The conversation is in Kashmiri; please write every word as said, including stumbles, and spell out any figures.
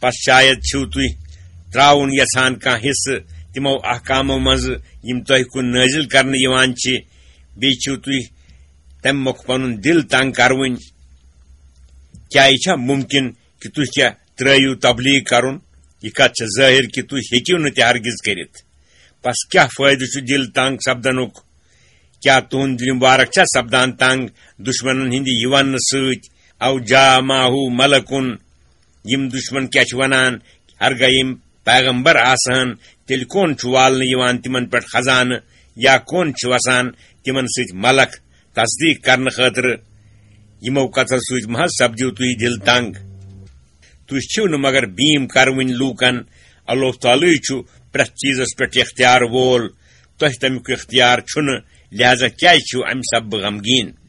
پس شاید چھِو تُہۍ ترٛاوُن یژھان کانٛہہ حصہٕ تِمو احکامو منٛزٕ یِم تۄہہِ کُن نٲزِل کرنہٕ یِوان چھِ، بیٚیہِ چھِو تُہۍ تَمہِ مۄکھٕ پنُن دِل تنگ کرٕوٕنۍ۔ کیٛاہ یہِ چھا مُمکِن کہِ تُہۍ کیٛاہ ترٛٲوِو تبلیغ کرُن؟ یہِ کتھ چھےٚ ظٲہِر کہِ تُہۍ ہیٚکِو نہٕ تہِ ہرگِز کٔرِتھ۔ پس کیٛاہ فٲیدٕ چھُ دِل تنگ سپدنُک؟ کیٛاہ تُہُنٛد دِل مُبارک چھا سپدان تنگ دُشمنن ہٕنٛدِ یہِ وننہٕ سۭتۍ، "او جا ماہو ملکُن"؟ یِم دُشمن کیٛاہ چھِ ونان؟ ہرگاہ یِم پیغمبر آسہٕ ہن، تیٚلہِ کون چھُ والنہٕ یِوان تِمن پٮ۪ٹھ خزانہٕ، یا کون چھُ وسان تِمن سۭتۍ ملک تصدیق کرنہٕ خٲطرٕ؟ یِمو کتھو سۭتۍ مہ حظ سپدِو تُہۍ دِل تنگ۔ تُہۍ چھِو نہٕ مگر بیٖم کروٕنۍ لوٗکن۔ اللہ تعالیٰ چھُ پرٛٮ۪تھ چیٖزس پٮ۪ٹھ اختیار وول۔ تۄہہِ تمیُک اختیار چھُنہٕ، لہذا کیٛازِ چھِو امہِ سببہٕ غمگیٖن؟